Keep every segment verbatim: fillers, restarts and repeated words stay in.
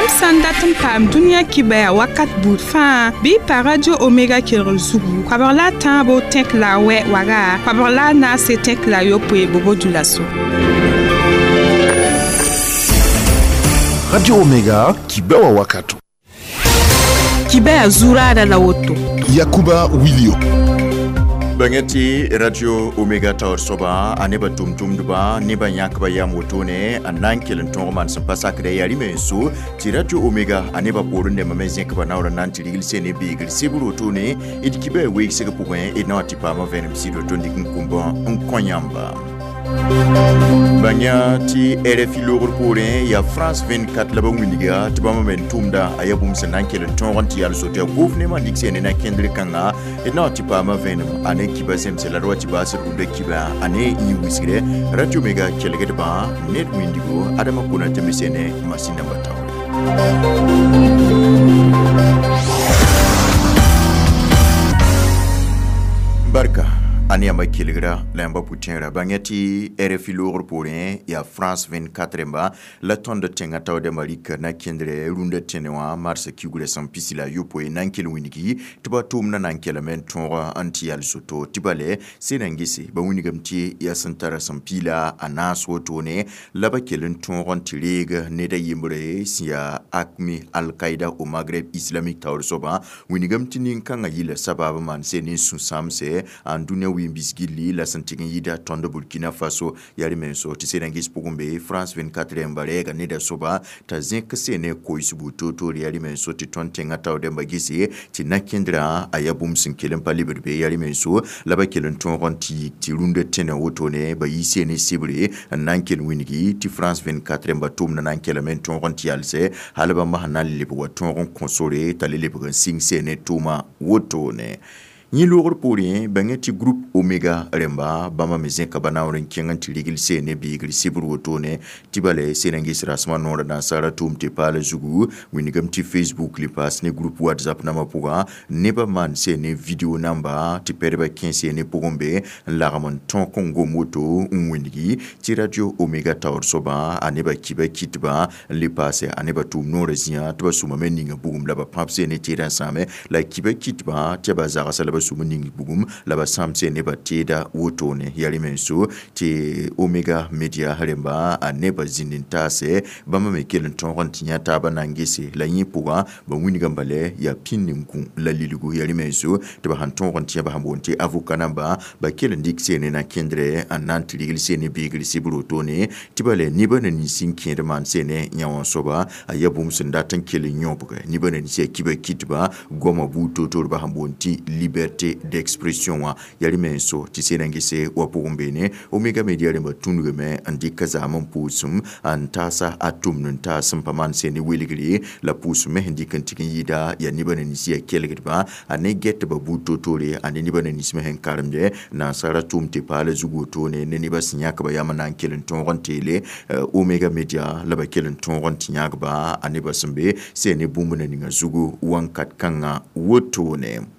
Yãmb sã n dat n paam dũniyã kibaya wakat buud fãa bɩ y pa Radio Omega kelgr zugu koabg la a tãabo tẽk la a wɛ waga koabg la a naase tẽk la a yopoe bobo dulaso. Radio Omega kibewa wakato. Kibaya zurada la woto. Yakuba Wilio. Bangeti Radio Omega taoor soaba a nebã tʋm-tʋmdba nebã yãkba yam wotone n na n kell n tõog maan sẽn pa sakdɛ yaa rɩ-menso tɩ Radio Omega a nebã poorẽ dẽmba me zẽkba naoor n na n tɩ rigl sene beegr sebr wotone d kibã weegsg pʋgẽ d na wa tɩ paama vẽenem sɩd woto n dɩk n kũmbã n kõ yãmba. Bãng tɩ R F I loogr poorẽ yaa France vingt-quatre la ba wilga tɩ bãmb me n tʋmda a yaa bũmb sẽn na n kell n tõog n tɩ yal soto yaa gʋʋf nemã n dɩk sene na kẽndr kãnga d na wa tɩ paama vẽenem a ne kiba zemse la d wa tɩ baasd rũndã kiba a ne yĩ wisgre Radio Omega kelgdbã ned wĩndigo Adama Konate me sene masin namba taoore. Barka ane yãmba kelgra la yãmba pʋ-tẽera bãng tɩ R F I loogr poorẽ yaa France vingt-quatre rẽmba la tõnd tẽngã taoodã rɩka na kẽndrɛ rũndã tẽne wã marsã kiugrã sẽn pisi la a yopoe na n kell wĩnigi tɩ ba tʋʋmdã na n kelame n tõog n tɩ yal soto tɩ bale sẽn na n gese ba wĩnigame tɩ yaa sẽn tara sẽn piila a naas wotone la ba kell n tõog n tɩ reeg ned a yembre sẽn yaa AQMI Al-Qaïda au Maghreb islamique taoor soabã wĩnigame tɩ nin-kãngã yɩla sabab maan sẽn ne sũ-sãamse n dũniyã wĩm-bisgilli la sẽn tɩg n yida tõnd Burkina Faso yaa rɩ-menso tɩ sẽn na n ges pʋgẽ be France vingt-quatre rẽmba rɛɛga neda soaba t'a zẽk sene koɩsbu toor-toor yaa rɩ-menso tɩ tõnd tẽngã taoor dẽmba gese tɩ na-kẽndrã a yaa bũmb sẽn kell n pa lebd be yaa rɩ-menso la ba kell n tõog n tɩ yik tɩ rũndã tẽnã wotone ba yi sene sebre n na n kell wĩngi tɩ France vingt-quatre rẽmba tʋʋmdã na n kelame n tõog n tɩ yalsɛ hal bãmb sẽn na n lebg wa tõog n kõ sore t'a le lebg n sɩng sene tʋʋma wotone. Yẽ loogr poorẽ bãng tɩ groupe Omega rẽmba bãmba me zẽka ba naoor n kẽng n tɩ rigl sene beegr sebr wotone tɩ bale sẽn na n ges rasmã noorã nansara tʋʋm tɩ paala zugu wĩnigame tɩ Facebook le paas ne groupe WhatsApp nambã pʋgã nebã maan sene video namba tɩ pɛdbã kẽ sene pʋgẽ be n lagem n tõk n gom woto n wĩngi tɩ Radio Omega taoor soabã a nebã kiba kɩtbã n le paase a nebã tʋʋm noorã zĩã tɩ ba sʋmame ninga bugum la ba pãb sene teedã n sãame la kiba kɩtbã tɩ ba zagsa la ba sũm ning bugum la ba sãam se nebã teeda wotone yaa rɩ-menso tɩ Omega Media rẽmba a nebã zĩnd n taase bãmba me kell n tõog n tɩ yã taabã na n gese la yẽ pʋgã ba wĩnigame bala yaa pĩnd n kũ la lilgu yaa rɩ-menso tɩ ba sãn tõog n tɩ yã ba sãn boond tɩ avocat namba ba kell n dɩk sene na kẽndrɛ n na n tɩ rigl sene beegr sebr wotone tɩ bala nebã na nins n kẽed maan sene yã wã soaba a yaa bũmb sẽn dat n kell n yõbg nebã na nins yaa kiba kɩtba goamã buud toor-toor ba sãn boond tɩ liberté d'expression wã yaa rɩ-menso tɩ sẽn na n gese wa pʋgẽ beene Omega Media rẽmba tũnugame n dɩk zaam n pʋʋsem n taasa a tʋmd n taas n pa maan sene welgre la pʋʋsem me sẽn dɩk n tɩg n yɩɩda yaa nebã na nins yaa kelgdbã a ne gɛtba buud toor-toore a ne nebã na nins me sẽn karemdɛ nansara tʋʋm tɩ paala zug wotone ne nebã sẽn yãkba yam n na n kell n tõog n teele Omega Media la ba kell n tõog n tɩ yãkba a nebã sẽn be sene bũmb na ninga zugu wãnkat kãngã wotone.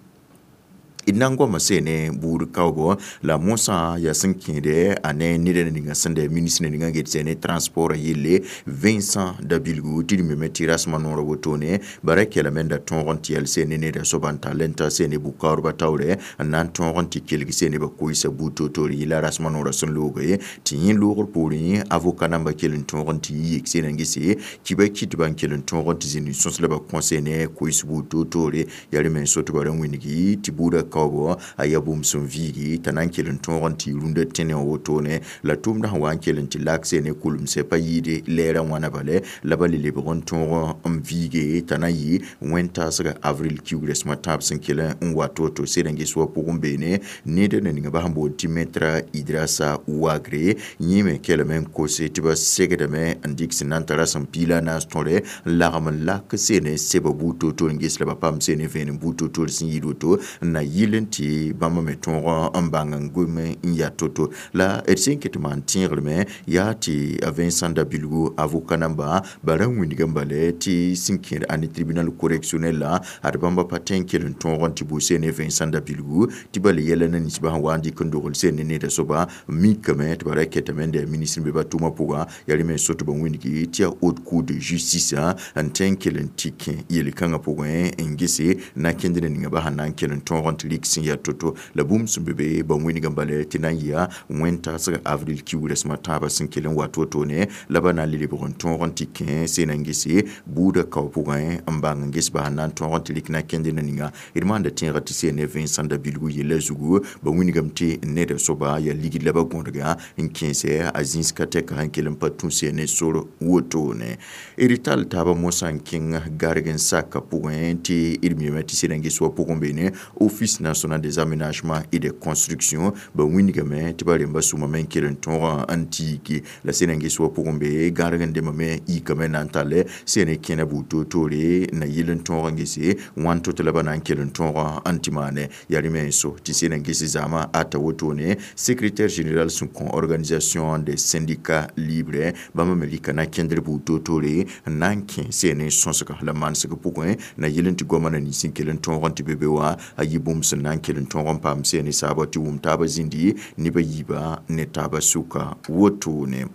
D na n goama sene buud kaoogo la mosã yaa sẽn kẽede a ne ned ninga sẽn da ministre ninga get sene transport yelle Vincent Dabilgu tɩ d meme tɩ rasmã noorã wotone bara kelame n da tõog n tɩ yɛl sene neda soaba n tall n ta sene bʋ-kaoodbã taoorɛ n na n tõog n tɩ kelg sene ba koɩsa buud toor-toor yɩla rasmã noorã sẽn looge tɩ yẽ loogr poorẽ avocat namba kell n tõog n tɩ yi yek sene n gese kiba kɩtbã n kell n tõog n tɩ zĩnd n sõs la ba kõ sene koɩs buud toor-toore yaa rɩ-menso tɩ ba ra wĩngi tɩ buudã kaoogo a yaa bũmb sẽn viigi t'a na n kell n tõog n tɩ rũndã tẽne wã wotone la tʋʋmdã sẽn wa n kell n tɩ lak sene kulemsɛ pa yɩɩde lɛɛrã wãna bale la ba le lebg n tõog n viige t'a na yɩ wẽn-taasga avril kiugrã sõma tãab sẽn kell n wat woto sed n ges wa pʋgẽ beene ned na ninga ba sẽn boond tɩ maître Idrasa Wagre yẽ me kelame n kose tɩ ba segdame n dɩk sẽn na n tara sẽn piila a naas tõre n lagem n lak sene seba buud toor-toor n ges la ba paam sene vẽenem buud toor-toor sẽn yɩɩd woto n na yɩl yɩl n tɩ bãmb me tõog n bãng n gom n yaa to-to la d sẽn ket maan tẽegrme yaa tɩ a Vincent Dabilgu avocat namba ba ra wĩndg n bale tɩ sẽn kẽed a ne tribunal correctionnel la ad bãmba pa tõe n kell n tõog n tɩ bʋ seen ne Vincent Dabilgu tɩ bala yɛla na ninsbã sẽn wa n dɩk n dogl seen ne neda soaba mikame tɩ ba ra kɛtame n da ministre n be ba tʋʋmã pʋga yaa rẽ me so tɩ ba wĩndgi tɩ yaa haute cour de justice n tõe n kell n tɩ kẽ yel-kãngã pʋgẽ n gese na kẽnd ninga ba sẽn na n kell n tõog n tɩ rɩk sẽn yaa to-to la bũmb sẽn be be ba wĩndg n bala tɩ na n yɩa wẽn-taasg avril kiuug rasem a tãabã sẽn kell n wa to-to-ne la ba na n le lebg n tõog n tɩ kẽ seen n gese buudã kao pʋgẽ n bãng n ges ba sẽn na n tõog n tɩ rɩk na kẽnd ninga d maanda tẽega tɩ seen ne Vincent Dabilgu yella zugu ba wĩndgame tɩ neda soaba yaa ligd la ba gõdga n kẽesɛ a zĩis ka tɛka sẽn kell n pa tũ seen ne sor wotone d tall taaba mosã n kẽng garg n saka pʋgẽ tɩ d miame tɩ seen n ges wa pʋgẽ beene Office national des aménagements et des constructions ba wĩndgame tɩ ba rẽmba sʋmame n kell n tõog n tiiki la seen n ges wa pʋgẽ be gãrg n demame yikame na n tall seen kẽna buud toor-toore na yɩl n tõog n gese wãn to tɩ la ba na n kell n tõog n tɩ maane yaa rẽ me n so tɩ seen n ges zaamã ata wotone secrétaire général sẽn kõ organisation des syndicats libres bãmba me rɩka na kẽndr buud toor-toore n na n kẽ seen n sõsg la manesg pʋgẽ na yɩl n tɩ goama na nins n kell n tõog n tɩ be be wã a yɩ bũmb sẽn na n kell n tõog n paam seen saaba tɩ wʋm taabã zĩndi neba yiibã ne taabã sʋka wotone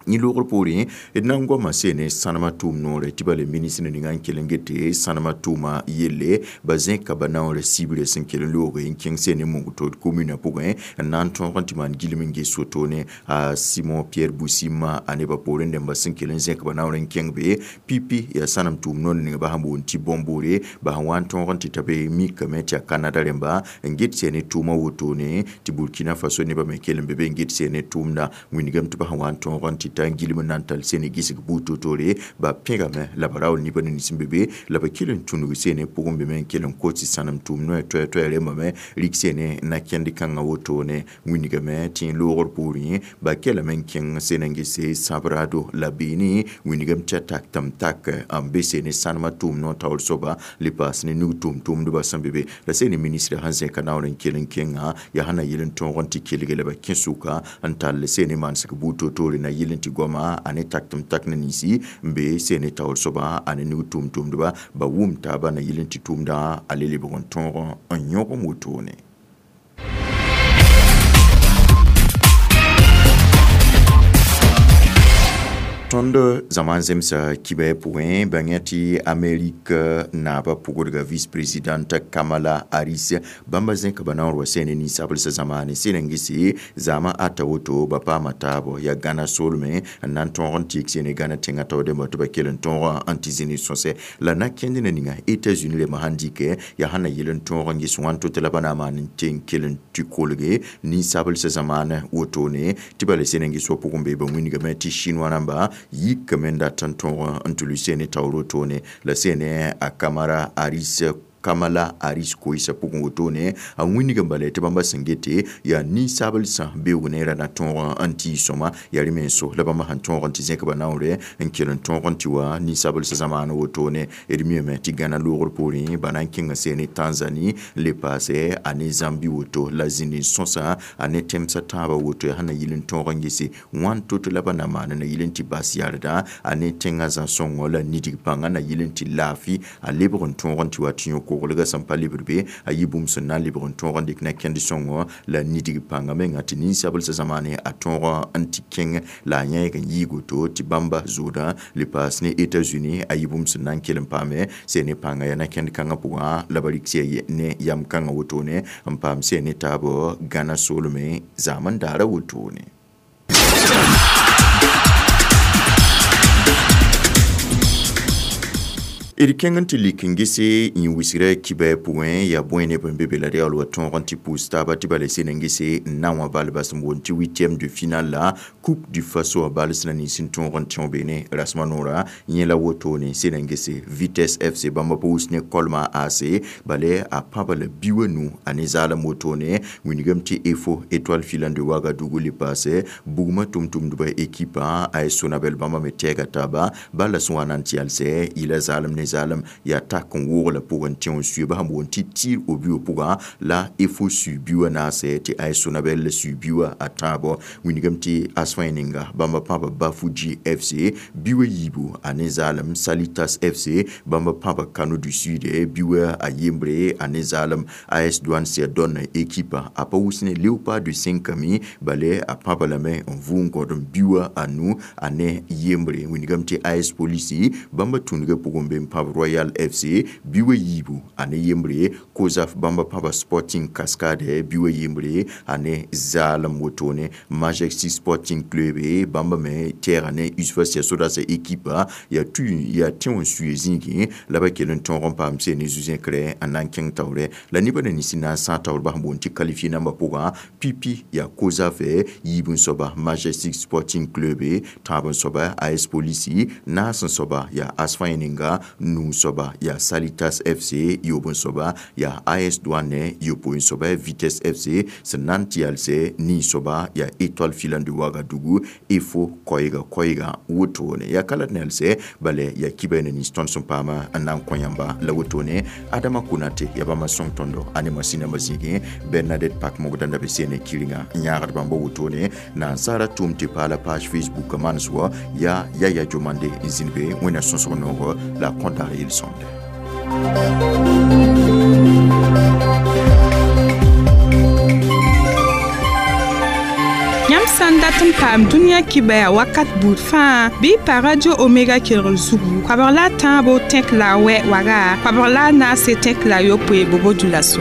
yẽ loogr poorẽ d na n goama seen sãnemã tʋʋm noore tɩ ba le ministre ninga n kell n gete sãnemã tʋʋma yelle ba zẽka ba naoorã sibrã sẽn kell n looge n kẽng seen mong tod commune pʋgẽ n na n tõog n tɩ maan gilem n ges wotone a Simon Pierre Boussima a nebã poorẽ dẽmba sẽn kell n zẽk ba naoor n kẽng be pipi yaa sãnem tʋʋm noor ninga ba sẽn boond tɩ bõmboore ba sẽn wa n tõog n tɩ ta be mikame tɩ yaa Canada rẽmba n get seen tʋʋmã wotone tɩ Burkina Faso nebã me kell n be be n get seen tʋʋmda wĩndgame tɩ ba sẽn wa n tõog n tɩ ta n gilem n na n tall seen gisg buud to-toore ba pẽgame la ba raool nibã nins n be be la ba kell n tũnug seen pʋgẽ be me n kell n kot sãnem tʋʋm noɛ toɛ-toɛ rẽmbame rɩk seen na kẽnd kãngã wotone wĩndgame tɩ loogr poorẽ ba kellame n kẽng seen n gese sãbrado la beene wĩndgame tɩ a tak tɩm tak n be seen sãnemã tʋʋm noor taoor soaba le paas ne nug tʋʋm-tʋʋmdbã sẽn be be la seen ministrã sẽn zẽka naoor n kell n kẽngã yaa sẽn na yɩl n tõog n tɩ kelge la ba kẽ sʋka n tall seen manesg buud to-toore na yɩl n tɩ goama a ne tak tɩm tak na ninsi n be seen taoor soaba a ne nug tʋʋm-tʋʋmdba ba wʋm taaba na yɩl n tɩ tʋʋmdã a le lebg n tõog n yõgem wotone. Tõnd zaman zemsa kibɛ pʋgẽ bãng tɩ Amerik naabã pʋgdga vice-présidente Kamala Harris bãmba zẽka ba naoor wa sẽne ninsablsã zamaane sẽn n gese zaamã ata woto ba paama taabo yaa Gãna soolmẽ n na n tõog n tɩk sẽne Gãna tẽngã taoor dẽmba tɩ ba kell n tõog n tɩ zĩni sõsɛ la na kẽnd na ninga États-Unis rẽmbã sãn dɩkɛ yaa sẽn na yɩl n tõog n ges wãn to tɩ la ba na n maan n tɩ n kell n tɩ kolge ninsablsã zamaane wotone tɩ bala sẽn n ges wa pʋgẽ be ba wĩndgame tɩ chinois rãmba yikame n dat n tõog n tɩ lʋɩ sene taoor wotone la sene a Kamala Harris Kamala Harris koeesã pʋgẽ wotone a wĩndg n bala tɩ bãmba sẽn gete yaa ninsablsã beoog neerã na tõog n tɩ sõma yaa rẽ me n so la bãmba sẽn tõog n tɩ zẽk ba naoore n kell n tõog n tɩ wa ninsablsã zamaana wotone d miame tɩ Gãna loogr poorẽ ba na n kẽnga seene Tanzanie n le paasɛ a ne Zambie woto la zĩnd n sõsa a ne tẽmsã tãabã woto yaa sẽn na yɩl n tõog n gese wãn to-to la ba na maan na yɩl n tɩ bas yarda a ne tẽngã zã-sõngɔ la nidg pãngã na yɩl n tɩ laafɩ a lebg n tõog n tɩ wa tɩ yõ koglga sẽn pa lebd be a yɩ bũmb sẽn na n lebg n tõog n dɩk na kẽnd sõngo la nidg pãngã menga tɩ ninsablsã zamaane a tõog n tɩ kẽng la a yãeeg n yɩɩg woto tɩ bãmba zooda le paas ne États-Unis a yɩ bũmb sẽn na n kell n paame sẽn ne pãnga yaa na kẽnd kãngã pʋgã la ba rɩk sɩ ne yam kãngã wotone n paam sẽn ne taabo Gãna soolmẽ zaam n daara wotone. D kẽng n tɩ lik n gese yẽ wisgrã kibɛ pʋgẽ yaa bõe neb n be be la d yaool wa tõog n tɩ pʋʋs taaba tɩ bala sẽn n gese n na wã bal bas n boond tɩ huitième de finale la Coupe du Faso a bal sẽn na nins n tõog n tẽo beene rasmã noora yẽ la wotone sẽn n gese Vitesse F C bãmba pa wus ne Kolma A C bala a pãba la bi wa nu a ne zaalem wotone wĩndgame tɩ E F O Étoile Filante de Ouagadougou le paase bugmã tʋm-tʋmdbã équipe a Sonabel bãmba me tɛɛga taaba bala sẽn wa na n tɩ yalsɛ yɩla zaalem ne zaalem yaa tak n woog la pʋgẽ tẽ n suiba sẽn boond tɩ tir au but pʋgã la efo sui biʋa naase tɩ A S Sonabel la sui biʋa a tãabo. Wilgame tɩ asfãe ninga bãmba pãba Bafuji F C biʋa yiibu a ne zaalem, Salitas F C bãmba pãba Kano du Sud biʋa a yembre a ne zaalem, A S Douane Seadon ekipa a pa wʋs ne Léopard de Senkami bale a pãba lame n vʋ n kõt n biʋa a nu a ne yembre. Wilgame tɩ A S Polisi bãmba tũudgã pʋgẽ be n pãb Royal F C biʋa yiibu a ne yembre, Kozaf bãmba pãba Sporting Cascade biʋa yembre a ne zaalem wotone, Majesty Sporting Club bãmba me tɛɛga ne Usfa Sɛsodas ekipa yaa tu yaa tẽ n suye zĩigẽ la ba kell n tõog n paam se ne zu-zẽkre n na n kẽng taoore la nebã na nins n na n sãag taoor bas n boond tɩ qualifié nambã pʋgã pipi yaa Kozaf yiib n soaba Majestic Sporting Club, tãab n soaba A S Polisi, naas n soaba yaa Asfãe ninga, nuu soaba yaa Salitas F C, yoob n soaba yaa A S Douane, yopoe n soaba Vitesse F C, sẽn na n tɩ yalsɛ nii soaba yaa Étoile Filante de Ouagadougou, EFO koɛɛga koɛɛga wotone. Yaa ka la d na yalsɛ bala yaa kiba na nins tõnd sẽn paama n na n kõ yãmba la wotone. Adama Konate yaa bãmba sõng tõndo a ne masĩnãmbã zĩigẽ, Bernadette Pak-Mogdã be sene kɩrenga n yãagd bãmba wotone, na n saara tʋʋm tɩ paala page Facebook manes wa yaa Yaya Jomande n zĩnd be wẽnna sõsg noogo la a kõt daar yel-sõmde. Yãmb sã n dat n paam dũniyã kibaya wakat buud fãa bɩ pa Radio Omega kelgr zugu koabg la a tãabo tẽk la a wɛ waga koabg la a naase tẽk la a yopoe bobo-dioulasso.